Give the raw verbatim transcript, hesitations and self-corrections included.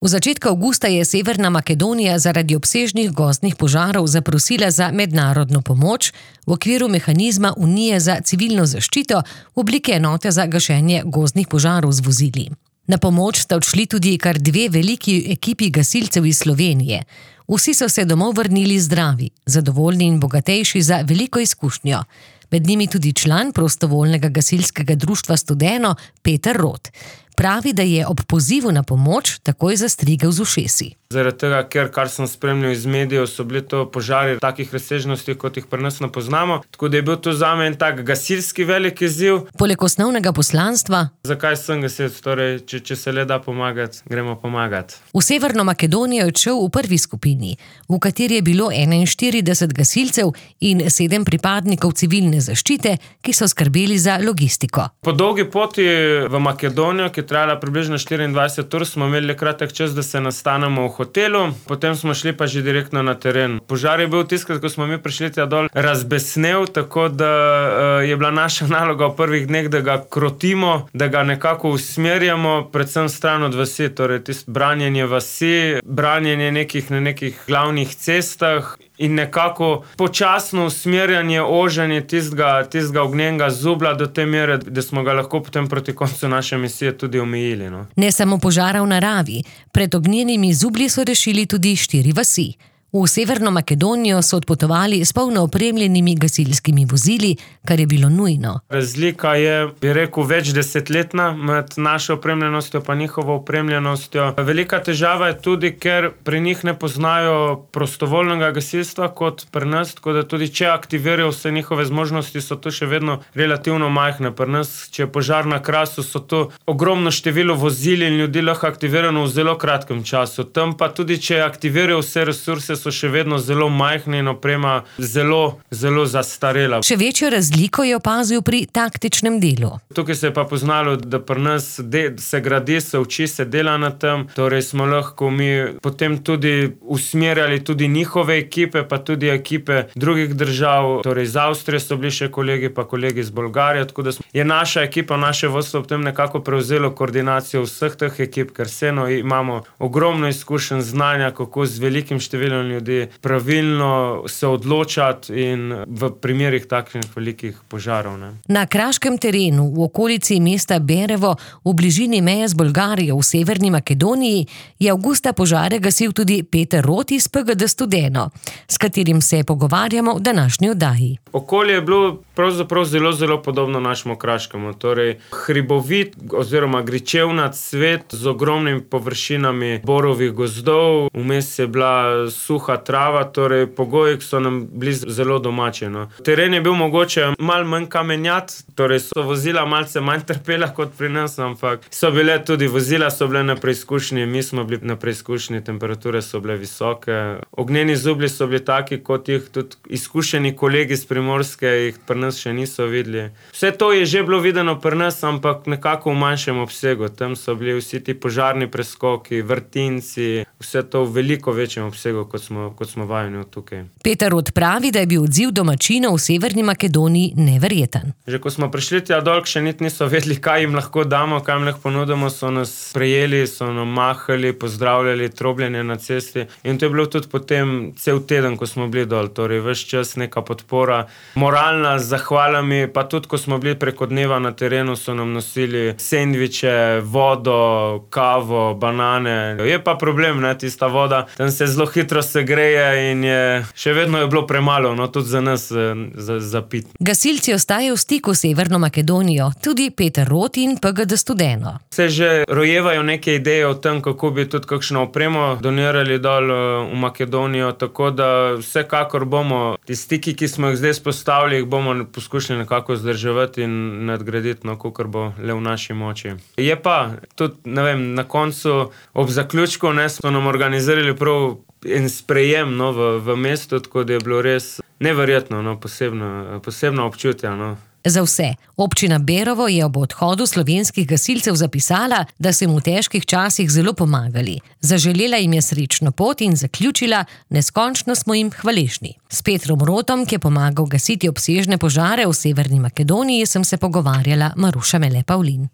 V začetku avgusta je Severna Makedonija zaradi obsežnih gozdnih požarov zaprosila za mednarodno pomoč v okviru mehanizma Unije za civilno zaščito v obliki enote za gašenje gozdnih požarov z vozili. Na pomoč sta odšli tudi kar dve veliki ekipi gasilcev iz Slovenije. Vsi so se domov vrnili zdravi, zadovoljni in bogatejši za veliko izkušnjo. Med njimi tudi član prostovoljnega gasilskega društva Studeno Peter Rot. Pravi, da je ob pozivu na pomoč takoj zastrigel z ušesi. Zaradi tega, ker kar sem spremljal iz medijev, so bili to požari takih razsežnosti, kot jih pri nas ne poznamo. Tako da je bil to zame en tak gasilski velik izziv. Poleg osnovnega poslanstva, zakaj sem gasilec, torej, če, če se le da pomagati, gremo pomagati. V Severno Makedonijo je odšel v prvi skupini, v kateri je bilo enainštirideset gasilcev in sedem pripadnikov civilne zaščite, ki so skrbeli za logistiko. Po dolgi poti v Makedonijo, ki je trajala približno štiriindvajset ur, smo imeli kratek čas, da se nastanemo v hotelu, potem smo šli pa že direktno na teren. Požar je bil tiskrat, ko smo mi prišli tja dol, razbesnel, tako da uh, je bila naša naloga v prvih dneh, da ga krotimo, da ga nekako usmerjamo, predvsem stran od vasi, torej tisto branjenje vasi, branjenje nekih na nekih glavnih cestah in nekako počasno usmerjanje, oženje tistega, tistega ognjenega zubla do te mere, da smo ga lahko potem proti koncu naše misije tudi omejili. No. Ne samo požara v naravi, pred ognjenimi zublji so rešili tudi štiri vasi. V Severno Makedonijo so odpotovali s polno opremljenimi gasilskimi vozili, kar je bilo nujno. Razlika je, bi rekel, več desetletna med našo opremljenostjo pa njihovo opremljenostjo. Velika težava je tudi, ker pri njih ne poznajo prostovoljnega gasilstva kot pri nas, tako da tudi če aktivirajo vse njihove zmožnosti, so to še vedno relativno majhne. Pri nas, če je požar na Krasu, so to ogromno število vozil in ljudi lahko aktivirano v zelo kratkem času. Tam pa tudi, če aktivirajo vse resurse, so še vedno zelo majhni in oprema zelo, zelo zastarela. Še večjo razliko je opazil pri taktičnem delu. Tukaj se je pa poznalo, da pri nas de, se gradi, se uči, se dela na tem, torej smo lahko mi potem tudi usmerjali tudi njihove ekipe, pa tudi ekipe drugih držav, torej iz Avstrije so bili še kolegi, pa kolegi iz Bolgarije, tako da je naša ekipa, naše vodstvo potem nekako prevzelo koordinacijo vseh teh ekip, ker vseeno imamo ogromno izkušenj, znanja, kako z velikim številom ljudi pravilno se odločati in v primerih takšnih velikih požarov. Ne. Na kraškem terenu v okolici mesta Berevo v bližini meje z Bolgarijo v Severni Makedoniji je avgusta požare gasil tudi Peter Rot iz P G D Studeno, s katerim se pogovarjamo v današnji oddaji. Okolje je bilo pravzaprav zelo, zelo podobno našemu kraškemu, torej hribovit oziroma gričevnat svet z ogromnimi površinami borovih gozdov, vmes je bila suha trava, torej pogoji so nam bili zelo domači. No. Teren je bil mogoče malo manj kamenjat, torej so vozila malce manj trpela kot pri nas, ampak so bile tudi vozila, so bile na preizkušnji, mi smo bili na preizkušnji, temperature so bile visoke. Ognjeni zublji so bili taki, kot jih tudi izkušeni kolegi z Primorske jih pri nas še niso videli. Vse to je že bilo videno pri nas, ampak nekako v manjšem obsegu. Tam so bili vsi ti požarni preskoki, vrtinci, vse to v veliko večjem obsegu, kot smo, kot smo vajeni tukaj. Peter Rot pravi, da je bil odziv domačinov v Severni Makedoniji neverjeten. Že ko smo prišli tja dol, še niti niso vedeli, kaj jim lahko damo, kaj jim lahko ponudimo, so nas sprejeli, so nam mahali, pozdravljali, trobljenje na cesti in to je bilo tudi potem cel teden, ko smo bili dol, torej ves čas neka podpora, moralna z zahvalami, pa tudi ko smo bili preko dneva na terenu, so nam nosili sendviče, vodo, kavo, banane. Je pa problem, ne, tista voda, tam se zelo hitro segreje in je, še vedno je bilo premalo, no, tudi za nas za, za pit. Gasilci ostajajo v stiku s Severno Makedonijo, tudi Peter Rot in P G D Studeno. Se že rojevajo neke ideje o tem, kako bi tudi kakšno opremo donirali dol v Makedonijo, tako da vsekakor bomo ti stiki, ki smo jih zdaj spostavili, jih bomo poskušali nekako zdrževati in nadgraditi, no, kakor bo le v naši moči. Je pa tudi, ne vem, na koncu ob zaključku, ne, smo nam organizirali prav en sprejem, no, v, v mestu, tako da je bilo res neverjetno, no, posebno, posebno občutje, no. Za vse. Občina Berovo je ob odhodu slovenskih gasilcev zapisala, da so jim v težkih časih zelo pomagali. Zaželela jim je srečno pot in zaključila, neskončno smo jim hvaležni. S Petrom Rotom, ki je pomagal gasiti obsežne požare v Severni Makedoniji, sem se pogovarjala Maruša Mele Pavlin.